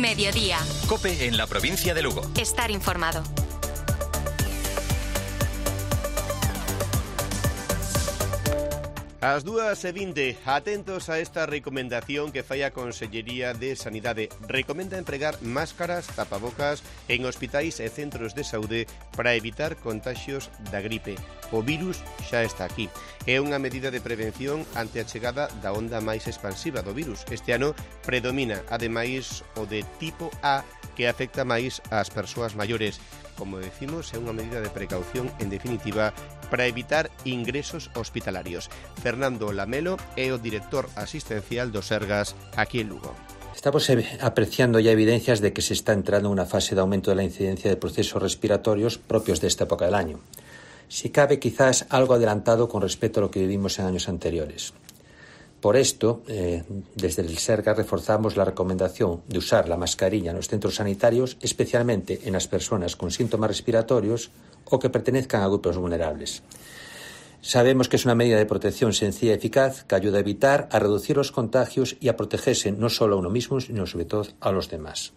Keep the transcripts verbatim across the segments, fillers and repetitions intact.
Mediodía. COPE en la provincia de Lugo. Estar informado. As dúas e vinte, atentos a esta recomendación que fai a Consellería de Sanidade. Recomenda empregar máscaras, tapabocas en hospitais e centros de saúde para evitar contaxios da gripe. O virus xa está aquí. É unha medida de prevención ante a chegada da onda máis expansiva do virus. Este ano predomina, ademais, o de tipo A, que afecta máis ás persoas maiores. Como decimos, é unha medida de precaución, en definitiva, para evitar ingresos hospitalarios. Fernando Lamelo é o director asistencial do Sergas aquí en Lugo. Estamos apreciando ya evidencias de que se está entrando en una fase de aumento de la incidencia de procesos respiratorios propios de esta época del año. Si cabe, quizás algo adelantado con respecto a lo que vivimos en años anteriores. Por esto, eh, desde el Sergas reforzamos la recomendación de usar la mascarilla en los centros sanitarios, especialmente en las personas con síntomas respiratorios o que pertenezcan a grupos vulnerables. Sabemos que es una medida de protección sencilla y eficaz que ayuda a evitar, a reducir los contagios y a protegerse no solo a uno mismo, sino sobre todo a los demás.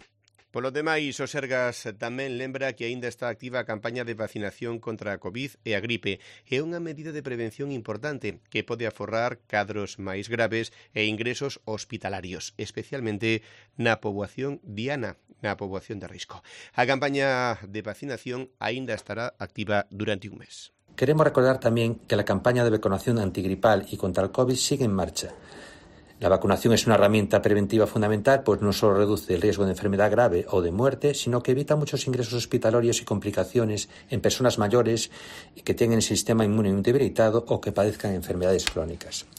Polo demais, o Sergas tamén lembra que aínda está activa a campaña de vacinación contra a COVID e a gripe. É unha medida de prevención importante que pode aforrar cadros máis graves e ingresos hospitalarios, especialmente na poboación diana, na poboación de risco. A campaña de vacinación aínda estará activa durante un mes. Queremos recordar también que la campaña de vacunación antigripal y contra el COVID sigue en marcha. La vacunación es una herramienta preventiva fundamental, pues no solo reduce el riesgo de enfermedad grave o de muerte, sino que evita muchos ingresos hospitalarios y complicaciones en personas mayores que tengan el sistema inmune debilitado o que padezcan enfermedades crónicas.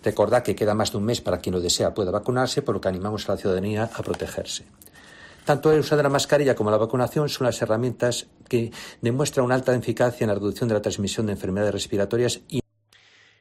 Recordad que queda más de un mes para quien lo desea pueda vacunarse, por lo que animamos a la ciudadanía a protegerse. Tanto el uso de la mascarilla como la vacunación son las herramientas que demuestran una alta eficacia en la reducción de la transmisión de enfermedades respiratorias y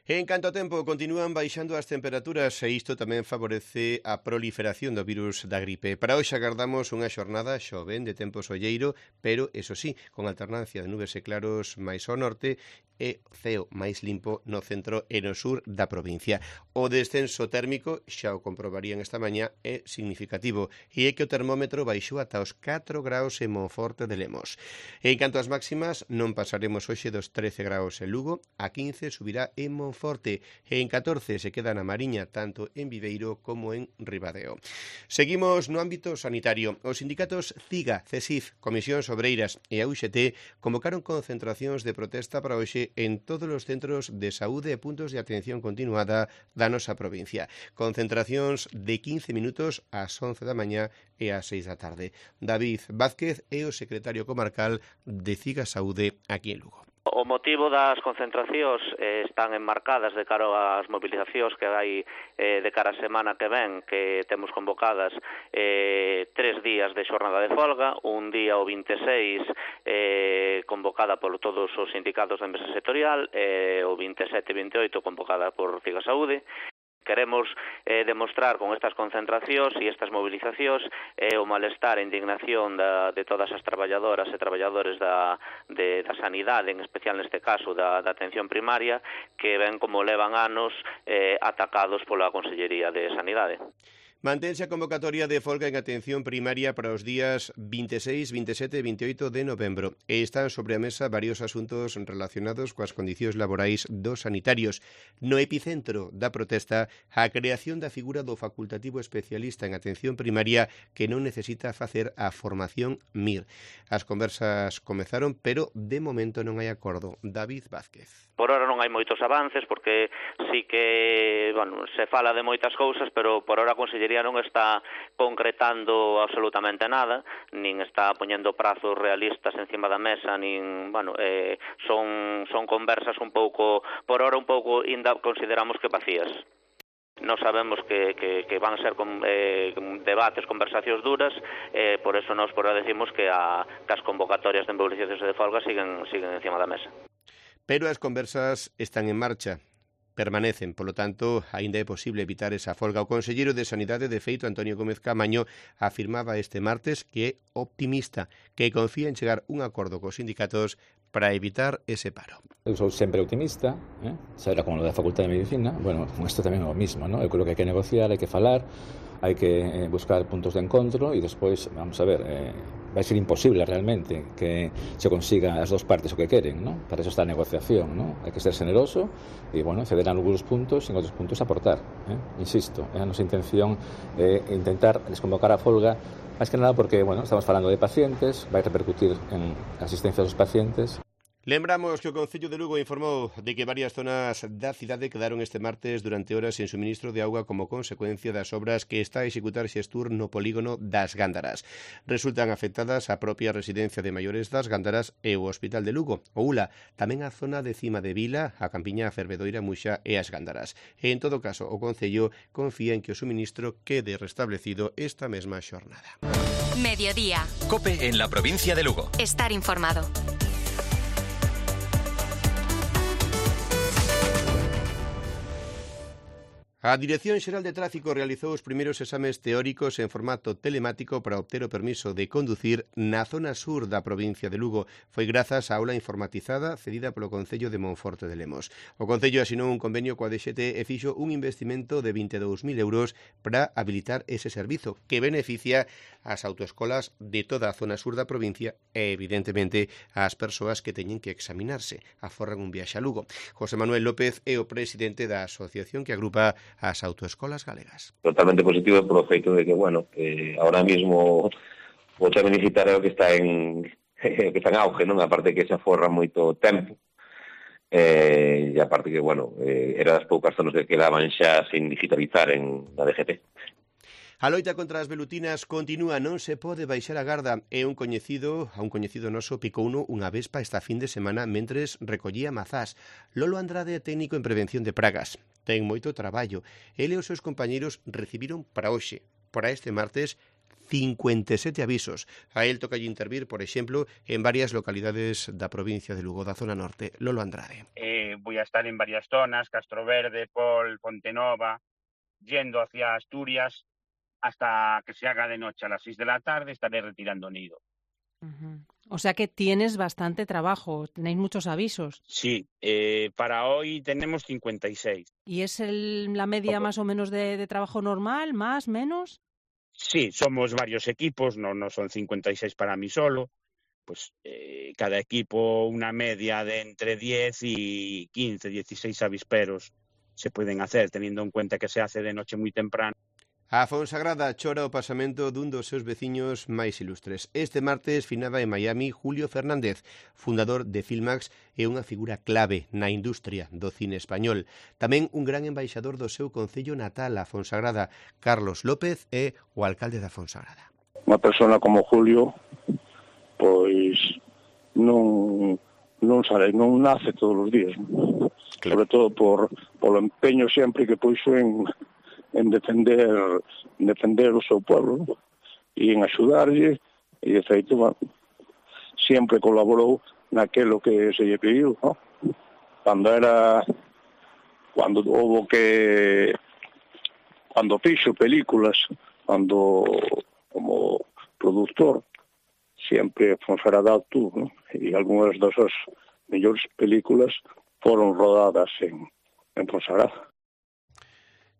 En canto a tempo, continúan baixando as temperaturas e isto tamén favorece a proliferación do virus da gripe. Para hoxe agardamos unha xornada xoven de tempo solleiro, pero, eso sí, con alternancia de nubes e claros máis ao norte e ceo máis limpo no centro e no sur da provincia. O descenso térmico, xa o comprobarían esta mañá, é significativo e é que o termómetro baixou ata os catro graus en Monforte de Lemos. En canto ás máximas, non pasaremos hoxe dos trece graus en Lugo, a quince subirá en Monforte e en catorce se queda na Mariña, tanto en Viveiro como en Ribadeo. Seguimos no ámbito sanitario. Os sindicatos CIGA, CESIF, Comisións Obreiras e a U X T convocaron concentracións de protesta para hoxe en todos os centros de saúde e puntos de atención continuada da nosa provincia. Concentracións de quince minutos ás once da mañá e ás seis da tarde. David Vázquez é o secretario comarcal de CIGA Saúde aquí en Lugo. O motivo das concentracións eh, están enmarcadas de cara ás mobilizacións que hai eh, de cara a semana que ven, que temos convocadas eh, tres días de xornada de folga, un día o vinte e seis eh, convocada por todos os sindicatos da mesa sectorial, eh, o vinte e sete e vinte e oito convocada por CIGA Saúde. Queremos eh, demostrar con estas concentracións e estas movilizacións eh, o malestar e indignación da, de todas as traballadoras e traballadores da, de, da sanidade, en especial neste caso da, da atención primaria, que ven como levan anos eh, atacados pola Consellería de Sanidade. Mantense a convocatoria de folga en atención primaria para os días vinte e seis, vinte e sete e vinte e oito de novembro. E están sobre a mesa varios asuntos relacionados coas condicións laborais dos sanitarios. No epicentro da protesta, a creación da figura do facultativo especialista en atención primaria que non necesita facer a formación M I R. As conversas comezaron, pero de momento non hai acordo. David Vázquez. Por ahora non hai moitos avances, porque sí que, bueno, se fala de moitas cousas, pero por ahora a Consellería non está concretando absolutamente nada, nin está poñendo prazos realistas encima da mesa, nin, bueno, eh, son, son conversas un pouco, por ahora un pouco, ainda consideramos que vacías. Non sabemos que, que, que van a ser con, eh, debates, conversacións duras, eh, por eso nos por ahora decimos que, a, que as convocatorias de movilizacións de folga siguen, siguen encima da mesa. Pero as conversas están en marcha, permanecen, polo tanto, aínda é posible evitar esa folga. O conselleiro de Sanidade, de feito, Antonio Gómez Camaño, afirmaba este martes que é optimista, que confía en chegar un acordo cos sindicatos para evitar ese paro. Eu sou sempre optimista, eh? Será como lo da Facultade de Medicina. Bueno, isto tamén é o mismo, ¿no? Eu creo que hai que negociar, hai que falar, hai que eh, buscar puntos de encontro e despois, vamos a ver, eh, vai ser imposible realmente que se consiga as dos partes o que queren, ¿no? Para eso está a negociación, ¿no? Hai que ser generoso e, bueno, ceder en algunos puntos e en outros puntos aportar, eh? Insisto, é a nosa intención é eh, intentar desconvocar a folga, máis que nada porque, bueno, estamos falando de pacientes, vai repercutir en a asistencia dos pacientes. Lembramos que o Concello de Lugo informou de que varias zonas da cidade quedaron este martes durante horas sen suministro de auga como consecuencia das obras que está a executar Xestur no polígono das Gándaras. Resultan afectadas a propia residencia de maiores das Gándaras e o Hospital de Lugo, o U L A, tamén a zona de Cima de Vila, a Campiña, a Fervedoira, Muxa e as Gándaras. E, en todo caso, o Concello confía en que o suministro quede restablecido esta mesma xornada. Mediodía. COPE en la provincia de Lugo. Estar informado. A Dirección Xeral de Tráfico realizou os primeiros exames teóricos en formato telemático para obter o permiso de conducir na zona sur da provincia de Lugo. Foi grazas á aula informatizada cedida polo Concello de Monforte de Lemos. O Concello asinou un convenio coa D X T e fixo un investimento de vinte e dous mil euros para habilitar ese servizo, que beneficia ás autoescolas de toda a zona sur da provincia e, evidentemente, ás persoas que teñen que examinarse, aforran un viaxe a Lugo. José Manuel López é o presidente da asociación que agrupa as autoescolas galegas. Totalmente positivo polo feito de que, bueno, que ahora mismo o tema universitario que está en que está en auge, non? Aparte que se aforra moito tempo, eh, e aparte que, bueno, eh, era das poucas zonas que quedaban xa sin digitalizar en na D G T. A loita contra as velutinas continúa, non se pode baixar a garda. E un coñecido, a un coñecido noso picouno unha vespa esta fin de semana mentres recollía mazás. Lolo Andrade é técnico en prevención de pragas. Ten moito traballo. Ele e os seus compañeiros recibiron para hoxe, para este martes, cincuenta e sete avisos. A él toca intervir, por exemplo, en varias localidades da provincia de Lugo, da zona norte. Lolo Andrade. Eh, voy a estar en varias zonas, Castroverde, Pol, Pontenova, yendo hacia Asturias, hasta que se haga de noche a las seis de la tarde estaré retirando nido. Uh-huh. O sea que tienes bastante trabajo, tenéis muchos avisos. Sí, eh, para hoy tenemos cincuenta y seis. ¿Y es el, la media más o menos de, de trabajo normal, más, menos? Sí, somos varios equipos, no, no son cincuenta y seis para mí solo. Pues eh, cada equipo una media de entre diez y quince, dieciséis avisperos se pueden hacer, teniendo en cuenta que se hace de noche muy temprano. A Fonsagrada chora o pasamento dun dos seus veciños máis ilustres. Este martes finaba en Miami Julio Fernández, fundador de Filmax e unha figura clave na industria do cine español. Tamén un gran embaixador do seu concello natal, a Fonsagrada. Carlos López é o alcalde da Fonsagrada. Unha persona como Julio, pois non non sabe, non nace todos os días. Claro. Sobre todo por polo empeño sempre que puxo en en defender defender o seu pueblo, ¿no? E en axudarlle, e de feito, bueno, sempre colaborou naquelo que se lle pediu, ¿no? Cando era cando houve que cando fixo películas, cando como productor, sempre Fonsagrada actuou, ¿no? E algunhas das súas mellores películas foron rodadas en, en Fonsagrada.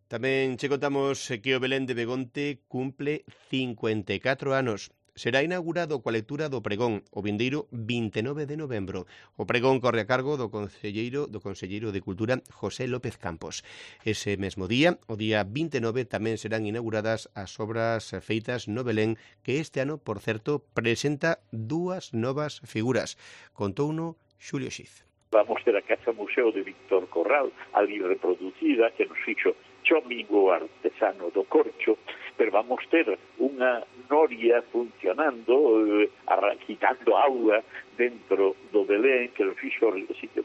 Tamén che contamos que o Belén de Begonte cumple cincuenta e catro anos. Será inaugurado coa lectura do pregón o vindeiro vinte e nove de novembro. O pregón corre a cargo do conselleiro do conselleiro de Cultura José López Campos. Ese mesmo día, o día vinte e nove, tamén serán inauguradas as obras feitas no Belén, que este ano, por certo, presenta dúas novas figuras. Contouno Xulio Xiz. Vamos ter a Casa Museo de Víctor Corral, ali reproducida, que nos fixo Chomigo, artesano do Corcho, pero vamos ter unha noria funcionando, eh, quitando auga dentro do Belén, que lo fixo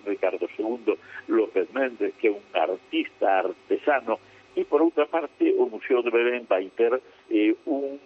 Ricardo segundo López Méndez, que é un artista artesano, e por outra parte o Museo de Belén vai ter eh, un,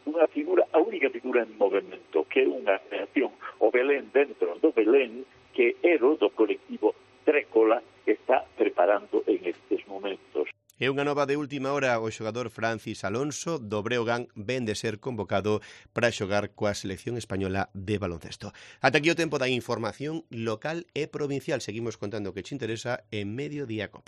unha figura, a única figura en movimento, que é unha creación, o Belén dentro do Belén, que é do colectivo Trécola, que está preparando en estes momentos. E unha nova de última hora, o xogador Francis Alonso do Breogán ven de ser convocado para xogar coa selección española de baloncesto. Ata aquí o tempo da información local e provincial. Seguimos contando o que che interesa en Mediodía Cope.